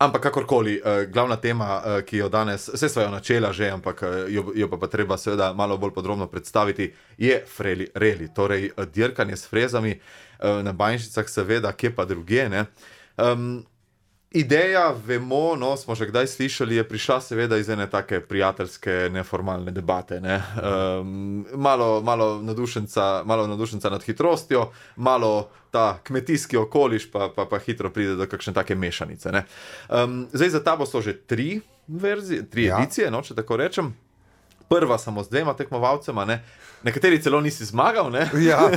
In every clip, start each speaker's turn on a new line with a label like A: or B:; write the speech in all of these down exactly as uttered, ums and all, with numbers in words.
A: Ampak kakorkoli, uh, glavna tema, uh, ki jo danes, vse sva jo načela že, ampak uh, jo, jo pa, pa treba seveda malo bolj podrobno predstaviti, je freli, reli, torej uh, dirkanje s frezami uh, na banjšicah, seveda, kje pa druge, ne. Um, Ideja, vemo, no, smo že kdaj slišali, je prišla seveda iz ene take prijateljske, neformalne debate. Ne? Um, malo, malo, nadušenca, malo nadušenca nad hitrostjo, malo ta kmetijski okoliš, pa, pa, pa hitro pride do kakšne take mešanice. Ne? Um, zdaj za tabo so že tri verzije, tri ja. edicije, no, če tako rečem. Prva samo z dvema tekmovalcema, ne? Nekateri celo nisi zmagal, ne?
B: Ja,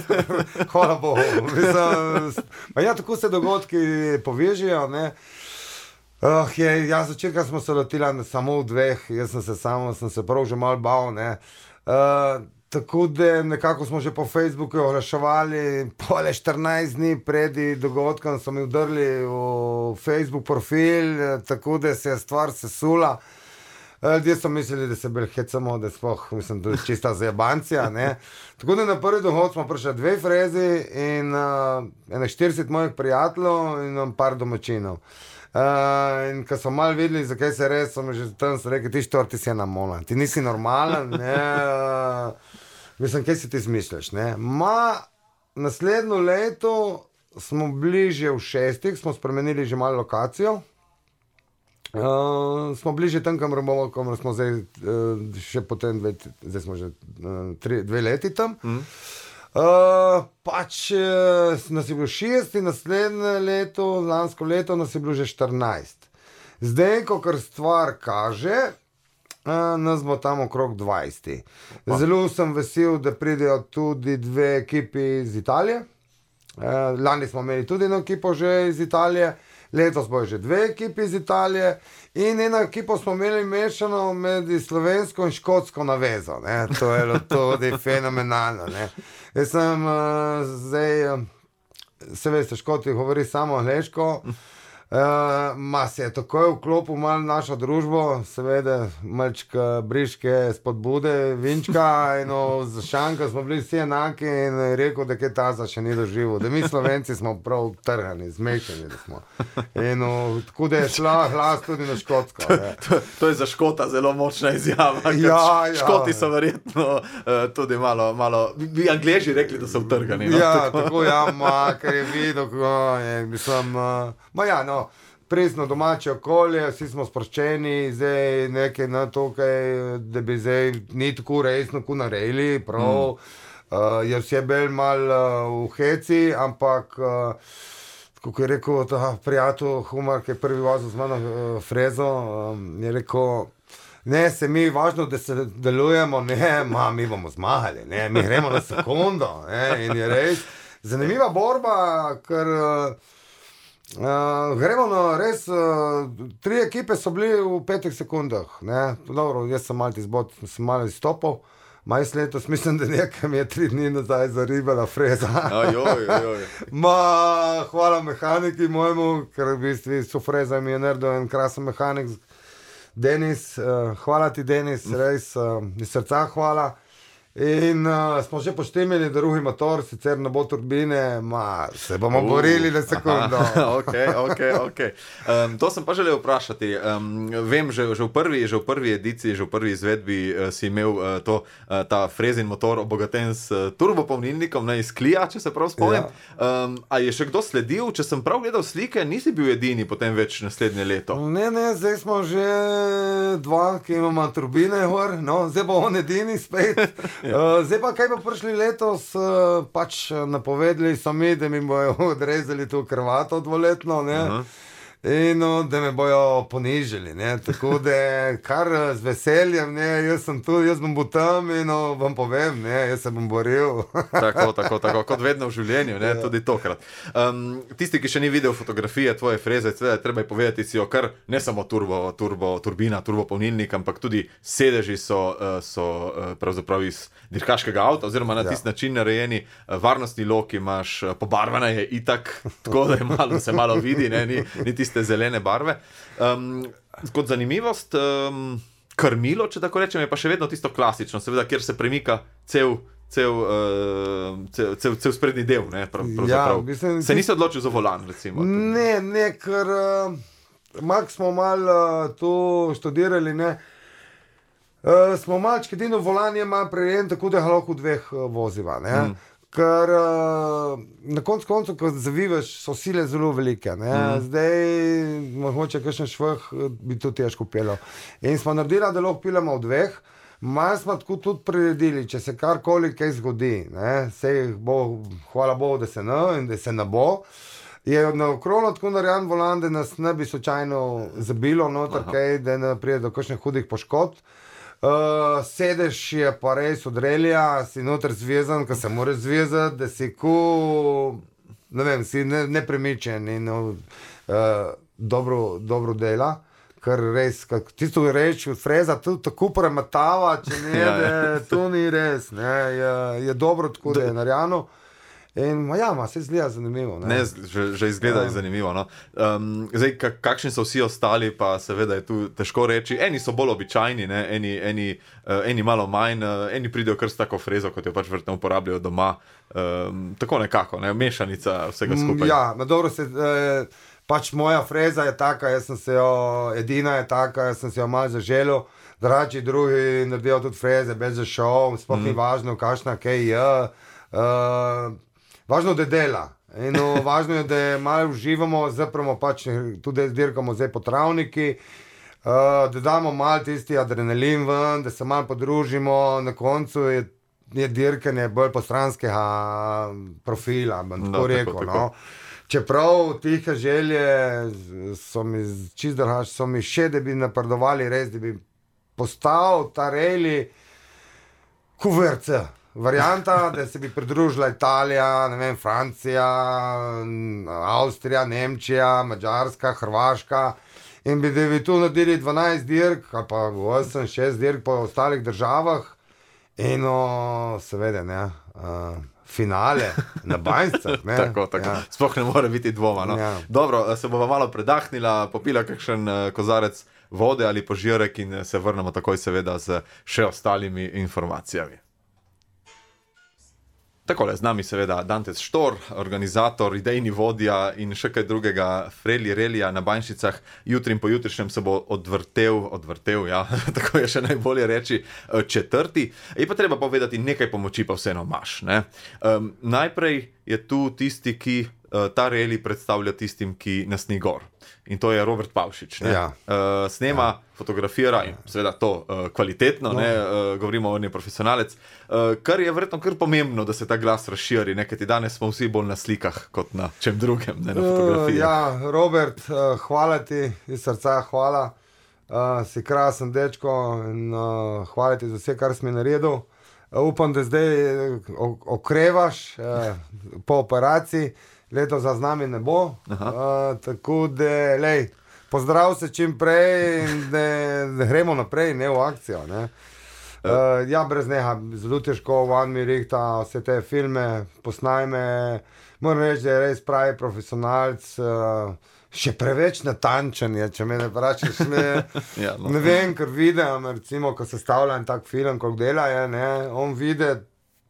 B: hvala Bogu. Mislim, ja, tako se dogodki povežijo, ne? Uh, je, ja, začetka smo se lotili samo v dveh, jaz sem se samo, sem se prav že malo bal, ne. Uh, tako da nekako smo že po Facebooku oglaševali, pole štirinajst dni pred dogodkom so mi vdrli v Facebook profil, tako da se je stvar sesula. Ljudje so mislili, da se bolj hecamo, da spoh, mislim, da je čista zajebancija, ne. Tako da na prvi dohod smo prišli dve frezi in uh, ene štirideset mojih prijateljev in par domačinov. Uh, in ko so malo videli, zakaj se res, so mi že tam so rekli, ti štor, ti si ena mola, ti nisi normalen, ne, uh, mislim, kaj si ti smišljaš, ne. Ma, naslednjo leto smo bili že v šestih, smo spremenili že malo lokacijo, uh, smo bili že tam, kamor bomo, kamor smo zdaj, uh, še potem dve, zdaj smo že uh, tri, dve leti tam. Mm. Uh, pač uh, nas je bilo šest in naslednje leto, lansko leto nas je bilo že štirinajst. Zdaj, ko kar stvar kaže, uh, nas bo tam okrog dvajset. Zelo sem vesel, da pridejo tudi dve ekipi iz Italije. Uh, lani smo imeli tudi eno ekipo že iz Italije, letos bojo že dve ekipi iz Italije in eno ekipo smo imeli mešano med slovensko in škotsko navezo. Ne? To je tudi fenomenalno. Ne? Jaz sem uh, zdaj, uh, se veste, Škoti govori samo angleško, uh, ma se je takoj vklopil malo našo družbo, seveda malčka briške spodbude, vinčka, eno za šanka smo bili vsi enaki in je rekel, da kaj taza še ni doživel, da mi Slovenci smo prav trhani, zmešani da smo. Eno, tako da je šla glas tudi na škotsko.
A: To, to je za Škota zelo močna izjava,
B: ja, ja.
A: Škoti so verjetno uh, tudi malo, malo, bi Angleži rekli, da so vtrgani. No?
B: Ja, tako, tako ja, ma, kar je videl, ko je, mislim, uh, ma ja, no, presno domače okolje, vsi smo sproščeni, zdaj nekaj na tukaj, da bi zdaj ni tako resno, ko naredili, prav, mm. uh, je vse bolj malo uh, v heci, ampak, uh, kako je rekel ta prijatelj Humar, ki je prvi vozil z mano uh, frezo, um, je rekel, ne, se mi važno, da se delujemo, ne, ma, mi bomo zmagali, ne, mi gremo na sekundo, ne, in je res zanimiva borba, ker uh, Uh, gremo na res, uh, tri ekipe so bili v petih sekundah, ne, dobro, jaz sem malo izbod, sem malo izstopal, majs letos, mislim, da nekaj mi je tri dni nazaj zaribala freza.
A: Ajoj, ajoj.
B: Ma, hvala mehaniki mojemu, ker v bistvu so freza mi je naredil en krasen mehanik, Denis, uh, hvala ti Denis, res, uh, iz srca hvala. In uh, smo že poštemili drugi motor, sicer ne bo turbine, ma se bomo uh, borili na sekundo.
A: ok, ok, ok. Um, to sem pa želel vprašati. Um, vem, že, že, v prvi, že v prvi ediciji, že v prvi izvedbi uh, si imel uh, to, uh, ta frezin motor obogaten s uh, turbopolnilnikom, ne iz Klija, če se prav spomnim. Ja. Um, a je še kdo sledil? Če sem prav gledal slike, nisi bil edini potem več naslednje leto.
B: Ne, ne, zdaj smo že dva, ki imamo turbine gor, no, zdaj bo on edini spet. Uh, zdaj pa, kaj pa prišli letos, uh, pač napovedali so mi, da mi bojo odrezali to krvato dvoletno, ne, uh-huh. in no, da me bojo ponižili, ne, tako da kar z veseljem, ne, jaz sem tu, jaz bom bil tam in no, vam povem, ne, jaz se bom boril.
A: tako, tako, tako, kot vedno v življenju, ne, ja. Tudi tokrat. Um, tisti, ki še ni videl fotografije tvoje freze, treba je povedati si jo kar, ne samo turbo, turbo, turbina, turbopolnilnik, ampak tudi sedeži so, so pravzaprav iz dirkaškega avta, oziroma na ja. Tist način narejeni, varnostni lok imaš, pobarvana je itak, tako da je malo, se malo vidi, ne, ni, ni tiste zelene barve. Um, kot zanimivost, um, krmilo, če tako rečem, je pa še vedno tisto klasično, seveda, kjer se premika cel, cel, uh, cel, cel, cel sprednji del, ne, prav,
B: ja, mislim,
A: se nisi odločil za volan, recimo.
B: Ne, ne, ker uh, mak smo malo uh, tu študirali, ne. Uh, smo malčki edino volan je malo prirejen, tako da lahko v dveh uh, voziva, ne. Mm. Ker uh, na koncu koncu, ko zavivaš, so sile zelo velike, ne. Mm. Zdaj, mogoče kakšen šveh bi to težko pelo. In smo naredili, da lahko pilamo v dveh, malo smo tako tudi priredili, če se karkoli kaj zgodi, ne, sej bo, hvala Bogu, da se ne in da se ne bo. Je na okrono tako narejen volan, da nas ne bi slučajno zabilo noter kaj, da ne pride do kakšnih hudih poškodb. Uh, sedež je pa res od relija, si noter zvezan, ko se mora zvezati, da si ku, ne vem, si ne, nepremičen in uh, dobro, dobro dela. Ker res, tisto reč, freza tu tako prematava, če ne, ja, ja. Da to ni res, ne, je, je dobro tako, da je narejeno. In ja, ma, se izgleda zanimivo. Ne,
A: ne že, že izgleda ja. Zanimivo. No. Um, zdaj, kakšni so vsi ostali, pa seveda je tu težko reči. Eni so bolj običajni, ne, eni, eni, uh, eni malo manj, uh, eni pridejo kar s tako frezo, kot jo pač vrtno uporabljajo doma. Um, tako nekako, ne, mešanica vsega skupaj.
B: Ja, na dobro se... Eh, Pač moja freza je taka, jaz sem se jo, edina je taka, jaz sem se jo malo zaželil, drugi drugi naredijo tudi freze, bez za šov, sploh mm. ni važno, kakšna kaj je. Uh, važno, da dela. In uh, važno je, da malo uživamo, zapremo pač tudi dirkamo zdaj po travniki, uh, da damo malo tisti adrenalin ven, da se malo podružimo, na koncu je, je dirkanje bolj postranskega profila, bom tako rekel, tako, no. Tako. Čeprav tihe želje so mi čist drugače, so mi še, da bi napredovali res, da bi postal ta rally kuverce. Varianta, da se bi pridružila Italija, ne vem, Francija, Avstrija, Nemčija, Madžarska, Hrvaška in bi, da bi tu naredili dvanajst dirk, ali pa osem, šest dirk po ostalih državah in no, seveda, ne, uh, finale na Banjscah.
A: Tako, tako. Ja. Sploh ne more biti dvoma. No. Ja. Dobro, se bova malo predahnila, popila kakšen kozarec vode ali požirek in se vrnemo takoj seveda z še ostalimi informacijami. Takole, z nami seveda Dantes Štor, organizator, idejni vodja in še kaj drugega Freli Relija na Banjšicah. Jutri in pojutrišnjem se bo odvrtel, odvrtel, ja, tako je še najbolje reči, četrti. Je pa treba povedati, nekaj pomoči pa vseeno imaš, ne. Um, najprej je tu tisti, ki uh, ta reli predstavlja tistim, ki nas ni gor. In to je Robert Pavšič, ne.
B: Ja.
A: Uh, snema, ja. Fotografira in seveda to uh, kvalitetno, no. Ne, uh, govorimo o njej profesionalec, uh, kar je verjetno kar pomembno, da se ta glas razširi, ne, kajti danes smo vsi bolj na slikah kot na čem drugem, ne, na fotografiji.
B: Uh, ja, Robert, uh, hvala ti, iz srca hvala, uh, si krasen dečko in uh, hvala ti za vse, kar si mi naredil. Uh, upam, da zdaj okrevaš uh, po operaciji, leto za z nami ne bo, uh, tako da, lej, pozdrav se čim prej in da, da gremo naprej, ne v akcijo, ne. Uh, ja, brez neha, zelo težko, van mi rihta vse te filme, posnajme, moram reči, da je res pravi profesionalc, uh, še preveč natančen je, če me ne vprašaš, ne, ja, no. Ne vem, ker vidim, recimo, ko se stavlja en tak film, koliko dela je, ne, on vidi,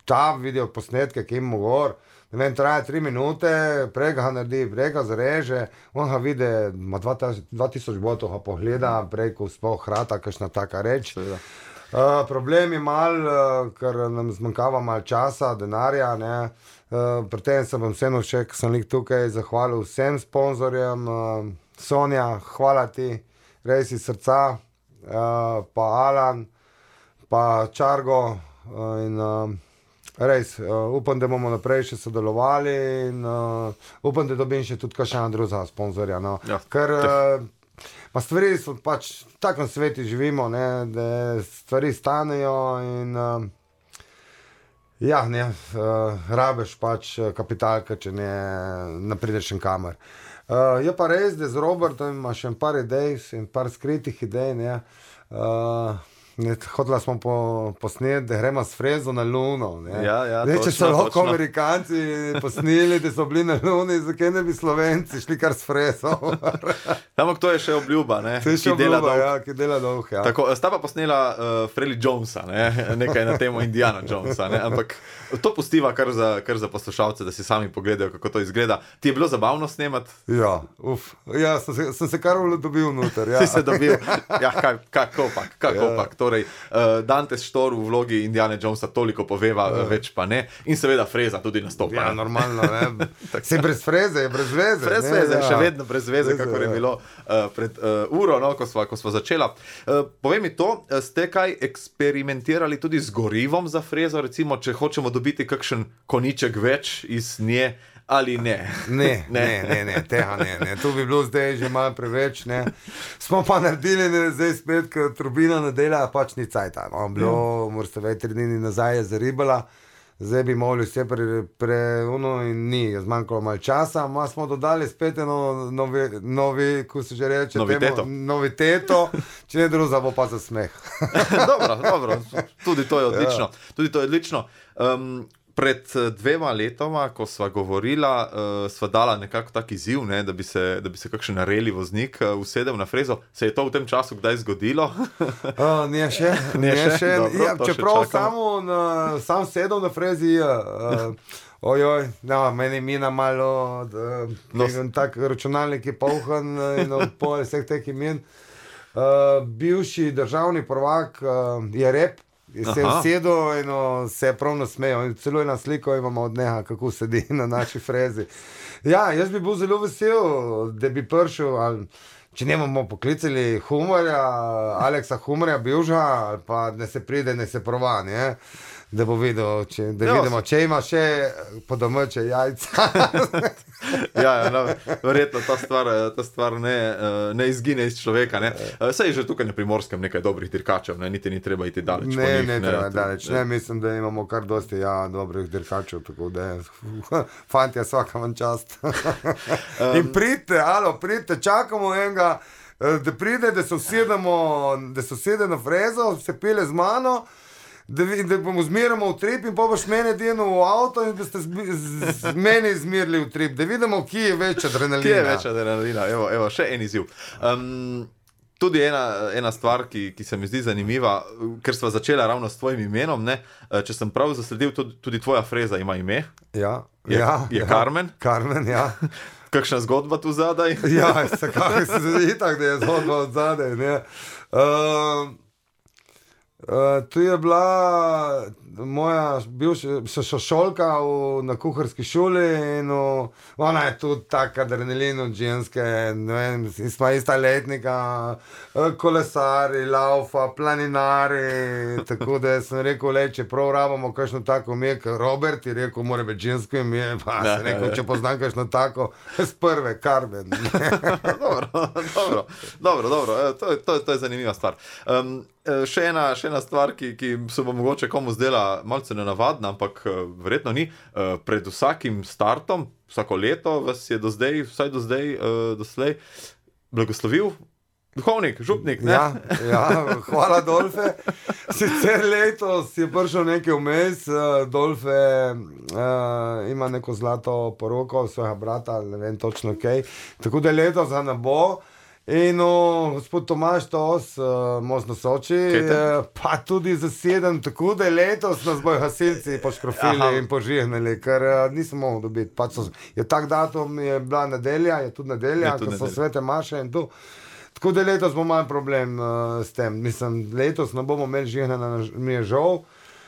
B: ta vidijo posnetke, ki ima gor, ne vem, traja tri minute, prej ga naredi, prej ga zareže, on ga vidi, ima dva tisoč botov ga pogleda, prej ko sploh hrata, kakšna taka reč. Uh, problem je mal, uh, ker nam zmanjkava mal časa, denarja, ne. Uh, pri tem se bom vseeno še, ko sem lik tukaj, zahvalil vsem sponzorjem, uh, Sonja, hvala ti, res iz srca, uh, pa Alan, pa Čargo uh, in uh, res, uh, upam, da bomo naprej še sodelovali in uh, upam, da dobim še tudi kakšna druga sponzorja, no. Ja. Ker uh, pa stvari so pač, v takem svetu živimo, ne, da stvari stanejo in uh, ja, ne, uh, rabeš pač kapitalka, če ne, ne prideš en kamer. Uh, je pa res, da z Robertom ima še en par idej, en par skritih idej, ne. Uh, Hodila smo po, posneti, da gremo s frezo na Luno.
A: Ja, ja,
B: ne,
A: točno,
B: če so lahko
A: točno.
B: Amerikanci posneli, da so bili na Luni, zakaj ne bi Slovenci šli kar s frezo?
A: Ampak to je še obljuba, ne?
B: To je še
A: ki dela
B: obljuba,
A: dolg.
B: ja, ki dela dolg. Ja.
A: Tako, sta pa posnela uh, Freli Jonesa, ne? Nekaj na temo Indiana Jonesa, ne? Ampak to pustiva kar za, kar za poslušalce, da si sami pogledajo, kako to izgleda. Ti je bilo zabavno snemati?
B: Ja, uf, ja, sem se, sem se kar dobil noter. Ja.
A: Si se dobil, ja, kaj, kako pak, kako
B: Ja.
A: pak. Torej, uh, Dante Štor v vlogi Indiana Jonesa toliko poveva, ja. več pa ne. In seveda Freza tudi nastopa.
B: Ja,
A: ne.
B: normalno, ne. Si brez freze, je brez veze.
A: Brez
B: ne,
A: veze,
B: ja.
A: še vedno brez veze,
B: Veze,
A: kako je
B: ja.
A: bilo uh, pred uh, uro, no, ko sva, ko sva začela. Uh, povej mi to, uh, ste kaj eksperimentirali tudi z gorivom za frezo, recimo, če hočemo dobiti kakšen koniček več iz nje ali ne?
B: Ne, ne, ne, ne, tega ne, ne. To bi bilo zdaj že malo preveč, ne. Smo pa naredili, ne, zdaj spet, ker turbina ne dela, pač ni cajta. No, bilo, mm. morate vedeti, tri dni nazaj je zaribala, zdaj bi mogli vse pre, pre uno in ni, je zmanjkalo malo časa, ma smo dodali spet eno novi, novi, ko se že reče,
A: Noviteto.
B: temo, noviteto, če ne druga, bo pa za smeh.
A: Dobro, dobro, tudi to je odlično. Ja. Tudi to je odlično. Um, Pred dvema letoma, ko sva govorila, uh, sva dala nekako tak izziv, ne, da bi se, da bi se kakšen reli voznik uh, usedel na frezo. Se je to v tem času kdaj zgodilo?
B: uh, ne še,
A: Ne
B: ne
A: še?
B: še.
A: Dobro,
B: Ja,
A: to še
B: čeprav
A: čakamo.
B: samo na, sam sedel na frezi, uh, ojoj, no, meni mina malo, da,
A: No,
B: no, tak računalnik je polhan in pol vseh teh imen. Uh, bivši državni prvak uh, je rep. Se je
A: Aha.
B: usedel in o, se je prav nasmejal. In celo eno sliko imamo od njega, kako sedi na naši frezi. Ja, jaz bi bil zelo vesel, da bi prišel, ali, če ne bomo poklicali Humorja, Aleksa Humorja, Bivža, ali pa ne se pride, ne se prova, ne? Da bo videl, če, da
A: Ja,
B: vidimo, če ima še po domače jajca.
A: Ja, ja, no, verjetno ta stvar, ta stvar ne, eh, ne izgine iz človeka. Ne. Eh, Saj je že tukaj na Primorskem nekaj dobrih dirkačev, ne. Niti ni treba iti daleč. po
B: Ne,
A: njih,
B: ne, treba
A: To-
B: daleč. Ne, mislim, da imamo kar dosti ja, dobrih dirkačev, tako da je, fantje, vsaka vam čast. In pridite, alo, pridite, čakamo enega, eh, da pride, da se usedemo, da se usede na frezo, se pele z mano, da, vi- da bomo zmerjamo v trip in pa boš mene delno v avto in da ste zbi- z, z meni zmerili v trip, da vidimo, kje je več adrenalina.
A: Kje je več adrenalina? Evo, evo, še en izziv. Um, tudi ena, ena stvar, ki, ki se mi zdi zanimiva, ker sva začela ravno s tvojim imenom, ne? Eh, Če sem prav zasledil, tudi, tudi tvoja freza ima ime.
B: Ja,
A: Je-
B: ja,
A: je
B: ja.
A: Carmen?
B: Carmen, ja.
A: Kakšna zgodba tu zadaj?
B: Ja, vsekakor se zdi tako, da je zgodba od zadaj. ne. Uh, uh, tu je bila moja bivša sošolka v- na kuharski šoli in v, ona je tudi tak adrenalin od ženske, ne vem, smo ista letnika, eh, kolesari, laufa, planinari, tako da sem rekel, le, če prav rabimo kakšno tako ime, kot Robert je rekel, mora biti žensko ime, pa
A: Ja,
B: sem
A: ja,
B: rekel,
A: ja.
B: če poznam kakšno tako, z prve, Carmen.
A: dobro, dobro, dobro, dobro. E, To, je- to, je- to je zanimiva stvar. Um, e, še, ena, še ena stvar, ki, ki se bo mogoče komu zdela malce nenavadna, ampak e, verjetno ni. E, Pred vsakim startom, vsako leto vas je do zdaj, vsaj do zdaj, e, doslej, blagoslovil duhovnik, župnik. Ne?
B: Ja, ja, hvala, Dolfe. Sicer letos je prišel nekaj vmes, uh, Dolfe uh, ima neko zlato poroko svojega brata, ne vem točno kaj. Tako da letos ga ne bo. In uh, gospod Tomaš Tos, uh, Most na Soči, uh, pa tudi zaseden, tako da letos nas bojo gasilci poškrofili
A: Aha.
B: in požignili, ker uh, nisem mogel dobiti. Pač so, je tak datum, je bila nedelja, je tudi nedelja,
A: Je tudi
B: ko so
A: nedelja.
B: svete maše in tu. Tako da letos bo malo problem uh, s tem. Mislim, letos ne bomo imeli žignjena, mi je žal.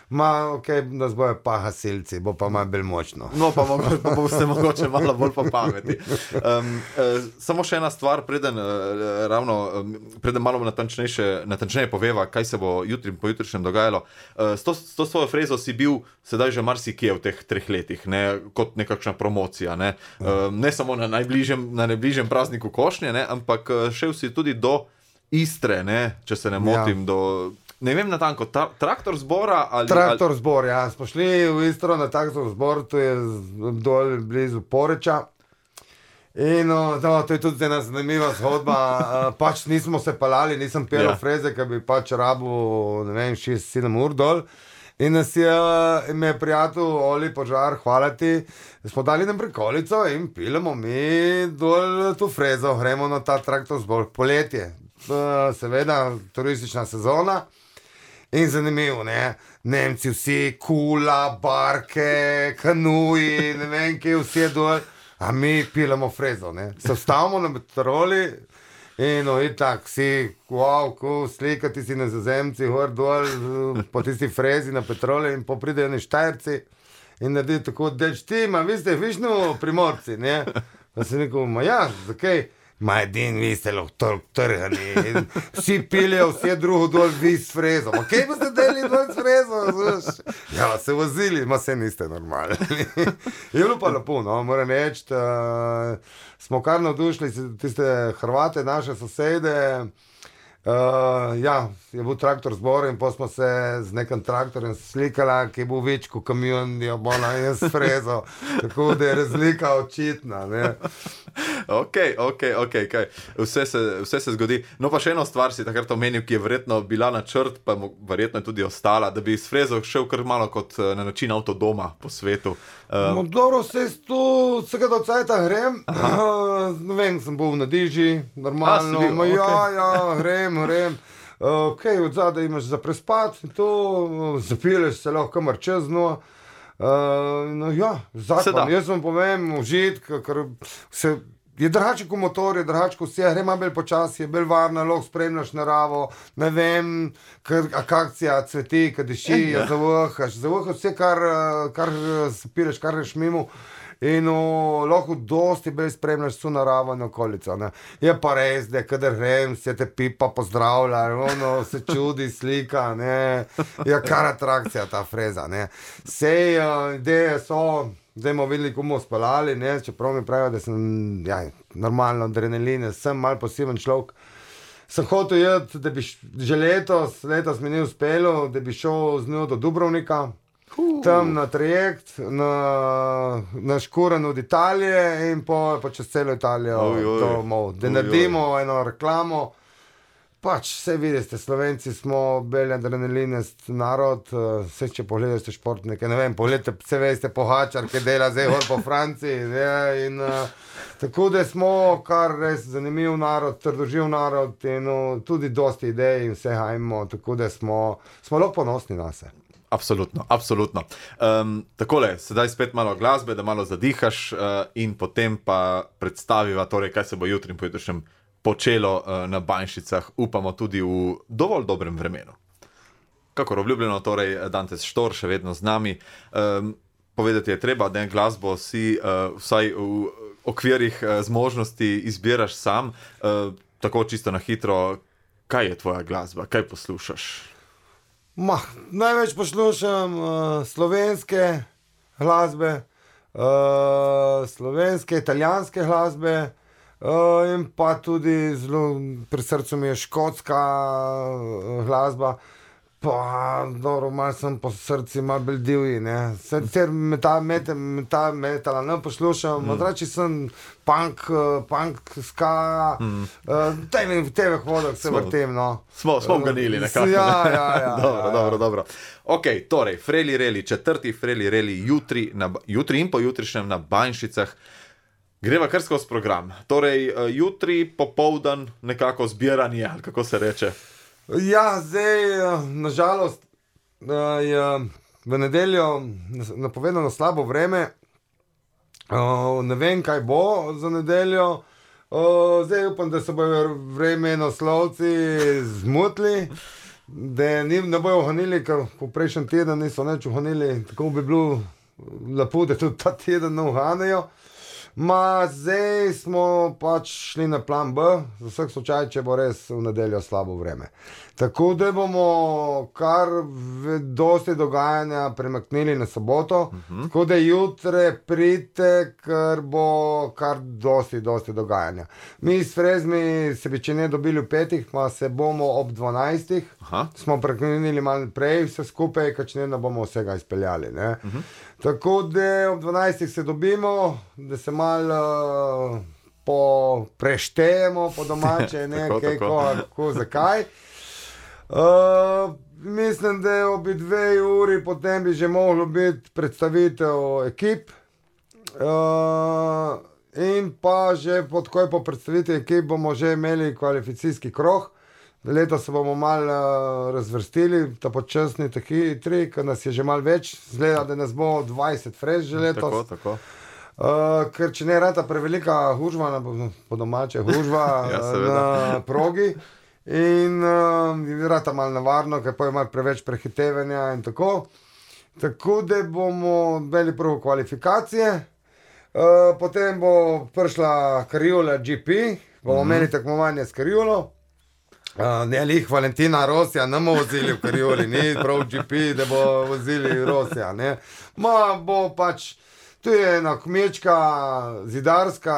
B: Ma, ok, nas bojo pa gasilci, bo pa malo bolj močno.
A: No, pa, mogo, pa boste mogoče malo bolj po pameti. Um, uh, samo še ena stvar, preden, uh, ravno, um, preden malo natančneje, natančneje poveva, kaj se bo jutri in pojutrišnjem dogajalo. Uh, s, to, s to svojo frezo si bil sedaj že marsikje v teh treh letih, ne, kot nekakšna promocija. Ne, uh, ne samo na najbližjem, na najbližjem prazniku košnje, ne, ampak uh, šel si tudi do Istre, ne, če se ne motim, ja. do... Ne vem natanko, tra, traktor zbora ali...
B: Traktor zbor, ja. Smo šli v Istro na traktor zbor, to je z- dol blizu Poreča. In no, to, to je tudi ena zanimiva zgodba. Uh, pač nismo se palali, nisem pel
A: Ja.
B: freze, ker bi pač rabil, ne vem, šest sedem ur dol. In nas je, in me je prijatelj Oli Požar, hvala ti, smo dali nam prikolico in pilemo mi dol to frezo, gremo na ta traktor zbor, poletje. Uh, seveda, turistična sezona. In zanimivo, ne, Nemci vsi, kula, barke, kanuji, ne vem, kje vsi je dol. A mi pilamo frezo, ne. Se vstavimo na metroli in no, itak, si, wow, ko slikati si na zazemci, gor dol, po tisti frezi na petroli in popridejo ni Štajerci in naredijo tako, deč ti, ma vi ste višno Primorci, ne. Pa sem rekel, ma ja, zakaj? Ma edin, vi ste lahko toliko trgani in vsi pilijo, vsi drugo dol, vi s frezo. Ma kaj boste delili dol s frezo? Znaš? Ja, se vozili, ma se niste normalni. Je bilo pa lepo, no, moram reči, uh, smo kar navdušili tiste Hrvate, naše sosede. Uh, ja, je bil traktor zbor in pa smo se z nekim traktorjem slikala, ki je bil več kot kamion, je bila in s frezo. Tako da je razlika očitna, ne.
A: Ok, ok, ok, kaj. Vse se, vse se zgodi. No pa še eno stvar si takrat omenil, ki je verjetno bila načrt, pa mo- verjetno je tudi ostala, da bi s frezo šel kar malo kot eh, na način avtodoma po svetu.
B: No,
A: Uh,
B: dobro, se tu, vsega do cajta grem, uh, ne vem, sem bil na diži, normalno,
A: A, si bil,
B: ma, ja,
A: okej.
B: ja, grem, grem. Uh, ok, od zadaj imaš za prespat, in to uh, zapileš se lahko kamor čez dno. Uh, no, ja,
A: Se da.
B: zakon, jaz vam povem, užitk, ker se je drugače kot motor, je drugače kot vse, gre malo bolj počasi, je bolj varno, lahko spremljaš naravo, ne vem, kar akakcija cveti, kad diši,
A: Ja.
B: ja. zavohaš, zavohaš vse, kar, eh, kar eh, spiraš, kar greš mimo. In o, lahko dosti bolj spremljaš vso naravo in okolico. Ne. Je pa res, da kadar grem, se te pipa pozdravlja, ono, se čudi, slika, ne. Je kar atrakcija ta freza. Ne. Sej uh, ideje so, zdaj smo videli, kako bomo spalali, ne, čeprav mi pravijo, da sem ja, normalno adrenalin, sem mal poseben človek. Sem hotel jeti, da bi š- že letos, letos mi ni uspelo, da bi šel z njo do Dubrovnika, tam na trajekt, na, na škuren od Italije in po, po čez celo Italijo
A: Oj, oj.
B: domov. Da
A: Oj, oj.
B: naredimo eno reklamo. Pač, vse vidite, Slovenci smo beli adrenalinist narod, eh, vse če pogledate športnike, ne vem, pogledate, vse veste, Pogačar, ki dela zdaj gor po Franciji, ne, in uh, tako da smo kar res zanimiv narod, trdoživ narod in uh, tudi dosti idej in vse hajmo, tako da smo, smo lahko ponosni na se.
A: Absolutno, absolutno. Um, takole, sedaj spet malo glasbe, da malo zadihaš uh, in potem pa predstaviva, torej, kaj se bo jutri in pojutrišnjem počelo uh, na Banjšicah, upamo tudi v dovolj dobrem vremenu. Kakor obljubljeno, torej Dantes Štor še vedno z nami. Um, povedati je treba, da glasbo si uh, vsaj v okvirih uh, zmožnosti izbiraš sam, uh, tako čisto na hitro. Kaj je tvoja glasba, kaj poslušaš?
B: Ma, največ poslušam uh, slovenske glasbe, uh, slovenske, italijanske glasbe uh, in pa tudi zelo pri srcu mi je škotska uh, glasba. Pa, dobro, malo sem po srcu, malo bolj divji, ne. Sicer metal, metal, metal, metala ne poslušam, mm. odrači sem punk, uh, punk, ska, mm. uh, v teh vodah se
A: Smo-
B: vrtem, no.
A: Smo, smo ganili nekako.
B: Ja, ja, ja.
A: dobro,
B: ja,
A: dobro,
B: ja.
A: dobro. Ok, torej, Freli Reli, četrti Freli Reli, jutri, na, Ba- jutri in pojutrišnjem na Banjšicah. Greva kar skozi program. Torej, eh, jutri popoldan nekako zbiranje, ali kako se reče.
B: Ja, zdaj, eh, nažalost, eh, je v nedeljo nas- napovedano slabo vreme. Eh, Ne vem, kaj bo za nedeljo. Eh, Zdaj upam, da se bodo vremenoslovci zmotili, da ni, ne bojo honili, ker v prejšnjem tednu niso nič honili. Tako bi bilo lepo, da tudi ta teden ne uhanejo. Ma, zdaj smo pač šli na plan B, za vsak slučaj, če bo res v nedeljo slabo vreme. Tako da bomo kar v- dosti dogajanja premaknili na soboto, uh -huh. tako da jutre pridite, ker bo kar dosti, dosti dogajanja. Mi s Frezmi se bi če ne dobili v petih, pa se bomo ob dvanajstih.
A: Aha.
B: Smo preklenili malo prej vse skupaj, ker če ne, ne bomo vsega izpeljali. Ne? Uh -huh. Tako da ob dvanajstih se dobimo, da se malo uh, po, preštejemo po domače, ne,
A: tako,
B: kaj,
A: tako.
B: ko, ko, zakaj. Uh, mislim, da je obi dve uri potem bi že moglo biti predstavitev ekip. Uh, in pa že pod koj po predstavitvi ekip bomo že imeli kvalifikacijski krog. Letos se bomo malo uh, razvrstili, ta počasni taki tri, ker nas je že malo več, zgleda, da nas bo dvajset frez že letos.
A: Tako, tako.
B: Uh, ker če ne rata prevelika hužva, na, po domače hužva
A: Ja,
B: na progi in uh, rata malo navarno, ker pa je malo preveč prehitevanja in tako. Tako da bomo imeli prvo kvalifikacije, uh, potem bo prišla Kariola G P, bomo
A: Mhm.
B: imeli tekmovanje s Kariolo. Uh, ne, lih Valentina Rosija, ne bomo vozili v Karioli, ni prav G P, da bo vozili Rosija, ne. Ma bo pač, tu je ena kmečka, zidarska,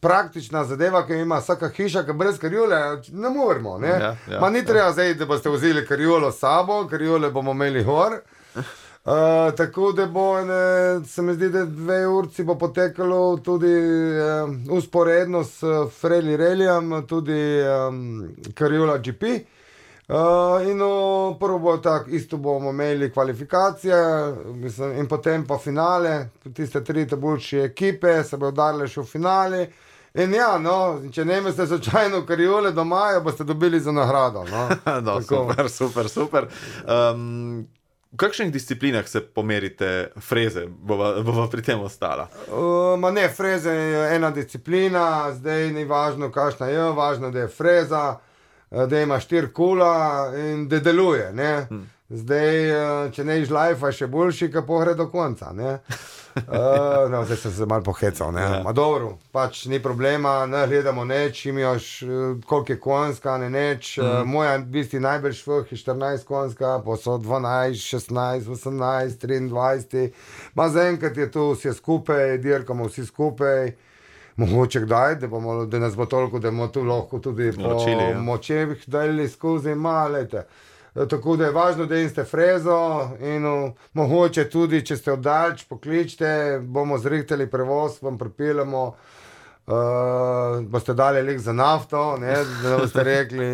B: praktična zadeva, ki ima vsaka hiša, ki brez Kariole ne moremo, ne.
A: Ja, ja,
B: Ma ni
A: ja.
B: treba zdaj, da boste vzeli Kariolo s sabo, Kariole bomo imeli gor. Uh, tako da bo, ne, se mi zdi, da dve urci bo potekalo tudi uh, usporedno s Freli Relijem, tudi um, Kariola G P. Uh, in no, prvo bo tako, isto bomo imeli kvalifikacije mislim, in potem pa finale, tiste tri boljše ekipe se bodo udarile še v finale. In ja, no, če ne imate slučajno Kariole doma, jo boste dobili za nagrado. No.
A: No, super, super, super. Um, v kakšnih disciplinah se pomerite freze, bova, bova pri tem ostala?
B: Uh, ma ne, freze je ena disciplina, zdaj ni važno, kakšna je, važno, da je freza, da ima štiri kula in da deluje. Ne? Hmm. Zdaj, če ne iš lajfa, še boljši, ka pogre do konca. Ne? Uh, no, zdaj sem se malo pohecal. Ja. Ma dobro, pač ni problema, ne gledamo neč, imaš koliko je konjska, ne neč. Hmm. Uh, moja bisti najbolj švih je štirinajst konjska, pa so dvanajst, šestnajst, osemnajst, triindvajset. Ma zaenkrat je tu vse skupaj, dirkamo vsi skupaj. Mogoče kdaj, da, bomo, da nas bo toliko, da bomo tu lahko tudi po
A: Naročili, ja.
B: močevih dali skozi malete. Tako da je važno, da imate frezo in uh, mogoče tudi, če ste oddalč, pokličite, bomo zrihtali prevoz, vam pripeljemo, uh, boste dali lik za nafto, ne, da boste rekli,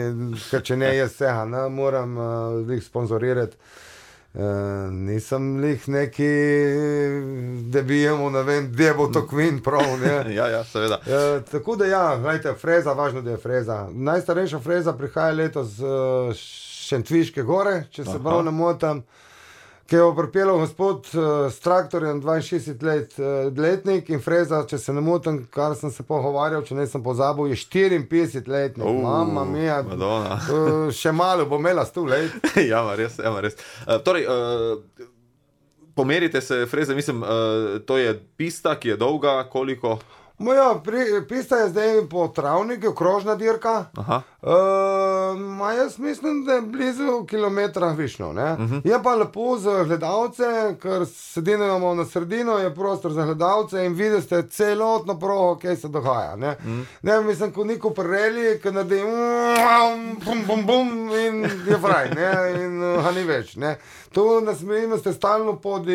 B: ker če ne jaz vsega, ne, moram uh, lik sponzorirati. Uh, nisem lih neki, da bi jemo, ne vem, da bo to kvin prav, ne.
A: Ja, ja, seveda.
B: Uh, tako da ja, gledajte, freza, važno, da je freza. Najstarejša freza prihaja letos z uh, Šentviške gore, če se prav ne motam, ki je pripeljal gospod uh, s traktorjem dvainšestdeset let, uh, letnik in freza, če se ne motam, kar sem se pogovarjal, če ne sem pozabil, je štiriinpetdeset letnik.
A: Uh,
B: Mama mia,
A: Madonna.
B: uh, še malo bo imela sto let.
A: Ja, ma res, ja, ma res. Uh, torej, uh, pomerite se freze, mislim, uh, to je pista, ki je dolga, koliko?
B: Moja pri, pista je zdaj po travniku, krožna dirka.
A: Aha.
B: Uh, ma jaz mislim, da je blizu kilometra višno. Uh-huh. Je pa lepo za gledalce, ker sedimo na sredino, je prostor za gledalce in vidite celotno progo, kaj se dogaja. Ne, uh-huh. ne mislim, ko neko prereli, ki naredi bum, bum, bum in je fraj, ne, in uh, ni več. Ne. Tu nas imate stalno pod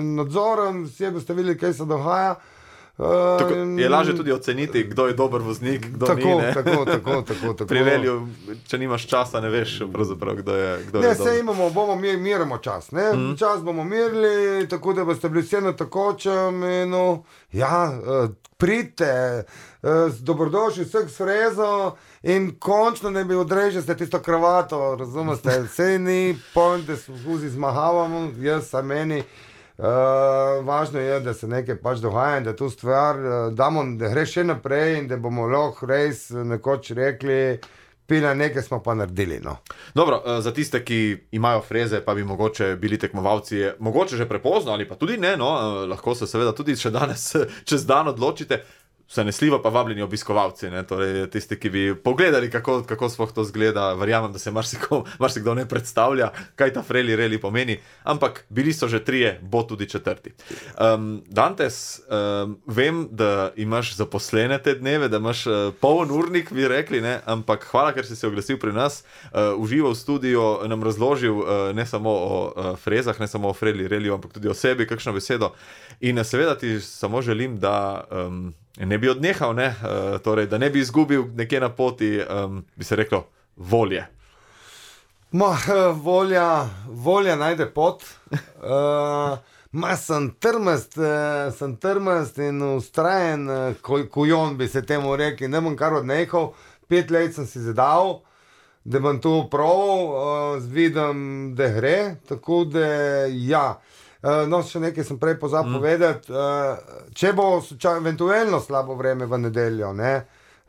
B: nadzorom, vsi boste videli, kaj se dogaja.
A: Uh, tako, je lažje tudi oceniti, kdo je dober voznik, kdo
B: tako,
A: ni. Ne?
B: Tako, tako, tako, tako.
A: Pri reliju, če nimaš časa, ne veš, pravzaprav, kdo je, kdo
B: ne,
A: je dober.
B: Ne, se imamo, bomo mir, miramo čas. Ne? Mm. Čas bomo mirili, tako da boste bili vse na takočem. In, no, ja, uh, pridite, uh, dobrodošli vseh s frezo in končno ne bi odrežili tisto kravato, razumete? Vse ni point, da se vzi zmahavamo, jaz sa meni. Uh, važno je, da se nekaj pač dogaja in da tu stvar uh, damo, da gre še naprej in da bomo lahko res nekoč rekli, pila nekaj smo pa naredili. No.
A: Dobro, uh, za tiste, ki imajo freze, pa bi mogoče bili tekmovalci, je mogoče že prepozno ali pa tudi ne, no, uh, lahko se seveda tudi še danes čez dan odločite. Se ne sliva pa vabljeni obiskovalci, ne? Torej tisti, ki bi pogledali, kako, kako sploh to zgleda. Verjamem, da se marsikdo, marsikdo ne predstavlja, kaj ta Freli Reli pomeni, ampak bili so že trije, bo tudi četrti. Um, Dantes, um, vem, da imaš zaposlene te dneve, da imaš uh, poln urnik, bi rekli, ne? Ampak hvala, ker si se oglasil pri nas, uh, užival v studiu, nam razložil uh, ne samo o uh, frezah, ne samo o Freli Reliju, ampak tudi o sebi, kakšno besedo. In seveda ti samo želim, da... Um, Ne bi odnehal, ne? Uh, torej, da ne bi izgubil nekje na poti, um, bi se reklo, volje.
B: Ma, volja, volja najde pot. Uh, ma, sem trmast, uh, sem trmast in ustrajen, uh, kujon bi se temu rekel, ne bom kar odnehal. Pet let sem si zadal, da bom to proval, uh, vidim, da gre, tako da ja. Uh, no, še nekaj sem prej pozabil mm. povedati. Uh, če bo eventualno slabo vreme v nedeljo, ne,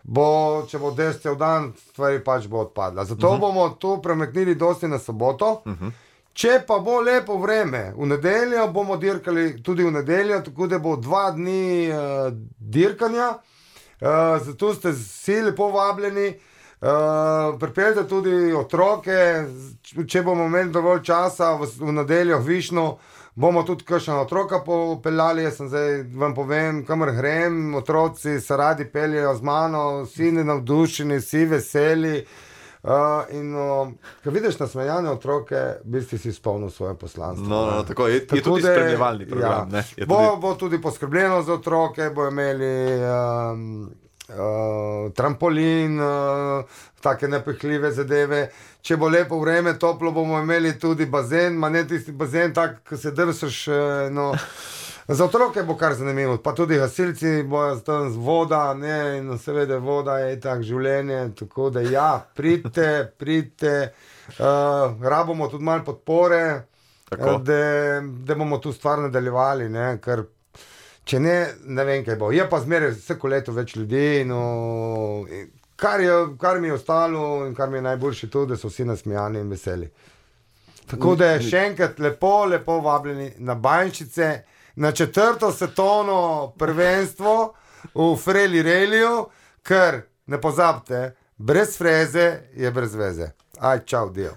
B: bo, če bo dež cel dan, stvari pač bo odpadla. Zato uh -huh. bomo to premaknili dosti na soboto. Uh -huh. Če pa bo lepo vreme, v nedeljo bomo dirkali tudi v nedeljo, tako da bo dva dni uh, dirkanja. Uh, zato ste vsi lepo vabljeni. Uh, pripeljte tudi otroke, če bomo imeli dovolj časa v, v nedeljo v Višnu. Bomo tudi kakšna otroka popeljali, jaz sem zdaj vam povem, kamor grem, otroci se radi peljejo z mano, vsi navdušeni, vsi veseli. Uh, in uh, ko vidiš nasmejane otroke, v bistvu si izpolnil svoje poslanstvo.
A: No, no, tako, je, tako je tudi spremljevalni program. Ja,
B: ne, bo, tudi... bo tudi poskrbljeno za otroke, bo imeli um, uh, trampolin, uh, take nepihljive zadeve. Če bo lepo vreme, toplo, bomo imeli tudi bazen, ma ne tisti bazen, tak, ko se drsaš, no. Za otroke bo kar zanimivo, pa tudi gasilci bojo tam z voda, ne, in seveda voda je tak življenje, tako da ja, pridite, pridite, uh, rabimo tudi malo podpore, uh, da, da bomo tu stvar nadaljevali, ne, ker če ne, ne vem, kaj bo. Je pa zmeraj vsako leto več ljudi, no, Kar, je, kar mi je ostalo in kar mi je najboljše to, da so vsi nasmejani in veseli. Tako da še enkrat lepo, lepo vabljeni na Bajnšice, na četrto svetovno prvenstvo v Freli Reliju, ker ne pozabite, brez freze je brez veze. Aj, čau, dio.